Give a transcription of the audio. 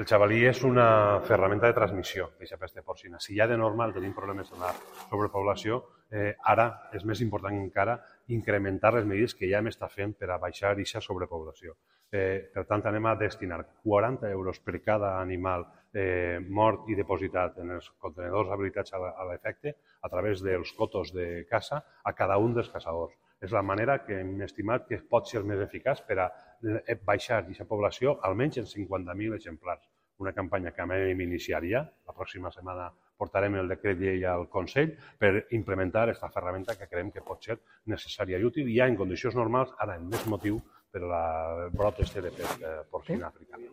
El jabalí és una ferramenta de transmissió d'aquesta pesta porcina. Si ja de normal tenim problemes amb la sobrepoblació, ara és més important encara incrementar les mesures que ja hem estat fent per a baixar aquesta sobrepoblació. Per tant, anem a destinar 40 euros per cada animal mort i depositat en els contenedors habilitats a l'efecte a través dels cotos de caça a cada un dels caçadors. És la manera que hem estimat que pot ser més eficaç per a baixar aquesta població almenys en 50.000 exemplars. Una campanya que hem iniciat ja, la pròxima setmana portarem el decret llei al Consell per implementar aquesta ferramenta que creiem que pot ser necessària i útil ja en condicions normals, ara amb més motiu per al brot de pesta porcina africana.